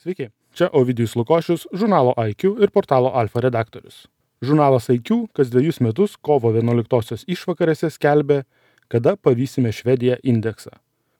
Sveiki, čia Ovidijus Lukošius, žurnalo IQ ir portalo Alfa redaktorius. Žurnalas IQ kas 2 metus kovo 11-osios išvakarėse skelbia, kada pavysime Švediją indeksą.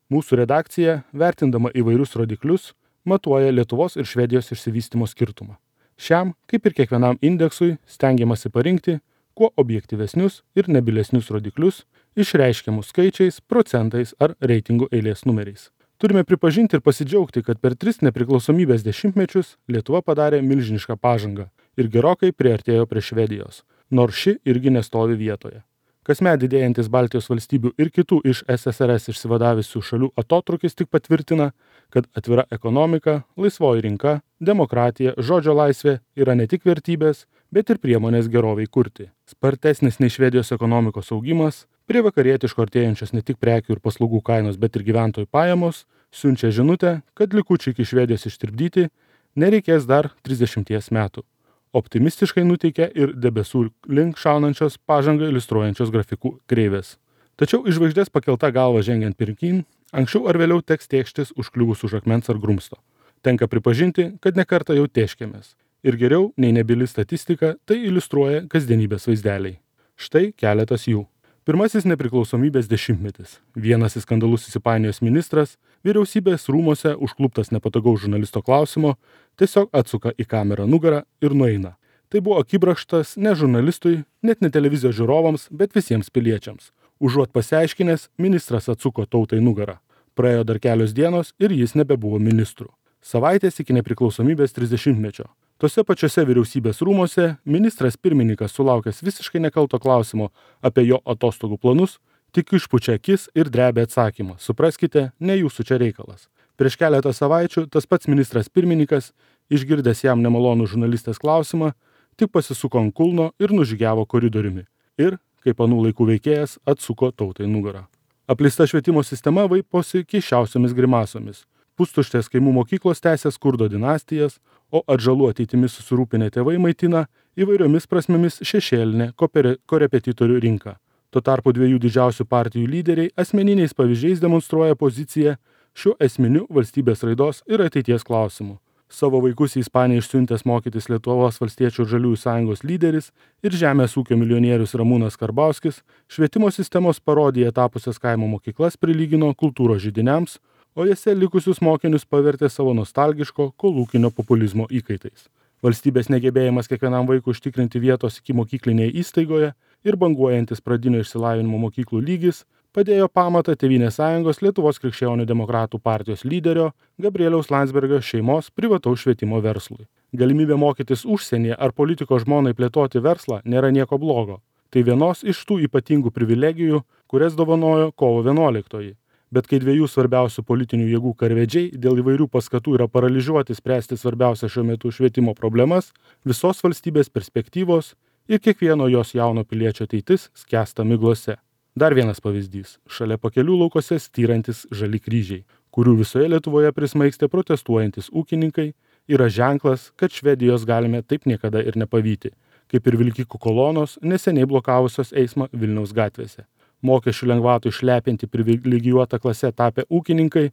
Mūsų redakcija, vertindama įvairius rodiklius, matuoja Lietuvos ir Švedijos išsivystymo skirtumą. Šiam, kaip ir kiekvienam indeksui, stengiamasi parinkti kuo objektyvesnius ir nebilesnius rodiklius, išreiškiamus skaičiais, procentais ar reitingų eilės numeriais. Turime pripažinti ir pasidžiaugti, kad per 3 nepriklausomybės dešimtmečius Lietuva padarė milžinišką pažangą ir gerokai priartėjo prie Švedijos, nors ši irgi nestovi vietoje. Kasmet didėjantis Baltijos valstybių ir kitų iš SSRS išsivadavusių šalių atotrūkis tik patvirtina, kad atvira ekonomika, laisvoji rinka, demokratija, žodžio laisvė yra ne tik vertybės, bet ir priemonės geroviai kurti. Spartesnis nei Švedijos ekonomikos augimas, prie vakarietiško artėjančios ne tik prekių ir paslaugų kainos, bet ir gyventojų pajamos, siunčia žinutę, kad likučiai iki Švedijos ištirpdyti nereikės dar 30 metų. Optimistiškai nuteikia ir debesų link šaunančios pažangą iliustruojančios grafikų kreivės. Tačiau iš žvaigždės pakelta galva žengiant pirkyn, anksčiau ar vėliau teks tėkštis užkliuvus už akmens ar grumsto. Tenka pripažinti, kad nekartą jau tėškėmės. Ir geriau nei nebili statistika, tai iliustruoja kasdienybės vaizdeliai. Štai keletas jų. Pirmasis nepriklausomybės dešimtmetis. Vienas į skandalus įsipainiojęs ministras, vyriausybės rūmose užkluptas nepatogaus žurnalisto klausimo, tiesiog atsuka į kamerą nugarą ir nueina. Tai buvo akibrokštas ne žurnalistui, net ne televizijos žiūrovams, bet visiems piliečiams. Užuot pasiaiškinęs, ministras atsuko tautai nugarą. Praėjo dar kelios dienos ir jis nebebuvo ministru. Savaitės iki nepriklausomybės 30-mečio. Tose pačiose vyriausybės rūmose ministras pirmininkas sulaukęs visiškai nekalto klausimo apie jo atostogų planus, tik išpučia akis ir drebia atsakymą. Supraskite, ne jūsų čia reikalas. Prieš keletą savaičių tas pats ministras pirmininkas, išgirdęs jam nemalonų žurnalistės klausimą, tik pasisuko ant kulno ir nužygiavo koridoriumi. Ir, kaip anų laikų veikėjas, atsuko tautai nugarą. Apleista švietimo sistema vaiposi keisčiausiomis grimasomis. Pustuštės kaimų mokyklos tęsia skurdo dinastijas, o atžalų ateitimi susirūpinę tėvai maitina įvairiomis prasmėmis šešėlinę korepetitorių rinką. Tuo tarpu 2 didžiausių partijų lyderiai asmeniniais pavyzdžiais demonstruoja poziciją šiuo esminiu valstybės raidos ir ateities klausimu. Savo vaikus į Ispaniją išsiuntęs mokytis Lietuvos valstiečių ir žaliųjų sąjungos lyderis ir žemės ūkio milijonierius Ramūnas Karbauskis švietimo sistemos parodija tapusias kaimo mokyklas prilygino kultūros židiniams, o jose likusius mokinius pavertė savo nostalgiško kolūkinio populizmo įkaitais. Valstybės negebėjimas kiekvienam vaikui užtikrinti vietos ikimokyklinėje įstaigoje ir banguojantis pradinio išsilavinimo mokyklų lygis padėjo pamatą Tėvynės sąjungos Lietuvos krikščionių demokratų partijos lyderio Gabrieliaus Landsbergio šeimos privataus švietimo verslui. Galimybė mokytis užsienyje ar politiko žmonai plėtoti verslą nėra nieko blogo. Tai vienos iš tų ypatingų privilegijų, kurias dovanojo kovo 11-oji. Bet kai 2 svarbiausių politinių jėgų karvedžiai dėl įvairių paskatų yra paralyžiuoti spręsti svarbiausią šiuo metu švietimo problemas, visos valstybės perspektyvos ir kiekvieno jos jauno piliečio ateitis skęsta miglose. Dar vienas pavyzdys – šalia pakelių laukose styrantis žali kryžiai, kurių visoje Lietuvoje prismaigstė protestuojantis ūkininkai, yra ženklas, kad Švedijos galime taip niekada ir nepavyti, kaip ir vilkikų kolonos neseniai blokavusios eismą Vilniaus gatvėse. Mokesčių lengvatų išlepinti privilegijuotą klasę tapę ūkininkai,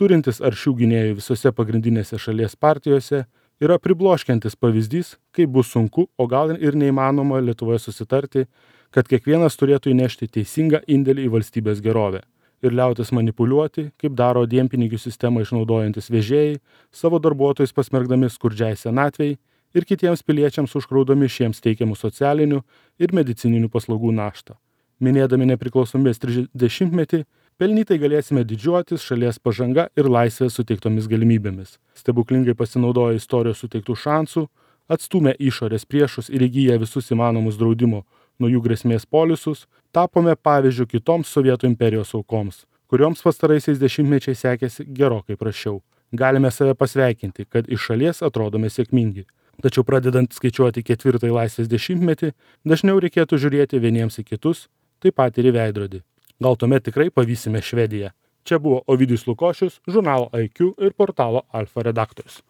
turintis aršių gynėjų visose pagrindinėse šalies partijose, yra pribloškiantis pavyzdys, kaip bus sunku, o gal ir neįmanoma Lietuvoje susitarti, kad kiekvienas turėtų įnešti teisingą indėlį į valstybės gerovę ir liautis manipuliuoti, kaip daro dienpinigių sistemą išnaudojantis vežėjai, savo darbuotojus pasmerkdami skurdžiai senatvei ir kitiems piliečiams užkraudami šiems teikiamų socialinių ir medicininių paslaugų naštą. Minėdami nepriklausomybės 30-metį, pelnytai galėsime didžiuotis šalies pažanga ir laisvės suteiktomis galimybėmis. Stebuklingai pasinaudoję istorijos suteiktų šansų, atstūmę išorės priešus ir įgyję visus įmanomus draudimo nuo jų grėsmės polisus, tapome pavyzdžiu kitoms Sovietų imperijos aukoms, kurioms pastaraisiais dešimtmečiais sekėsi gerokai prasčiau. Galime save pasveikinti, kad iš šalies atrodome sėkmingi. Tačiau pradedant skaičiuoti 4-ąjį laisvės dešimtmetį, dažniau reikėtų žiūrėti vieniems į kitus, taip pat ir į veidrodį. Gal tuomet tikrai pavysime Švediją. Čia buvo Ovidijus Lukošius, žurnalo IQ ir portalo Alfa redaktorius.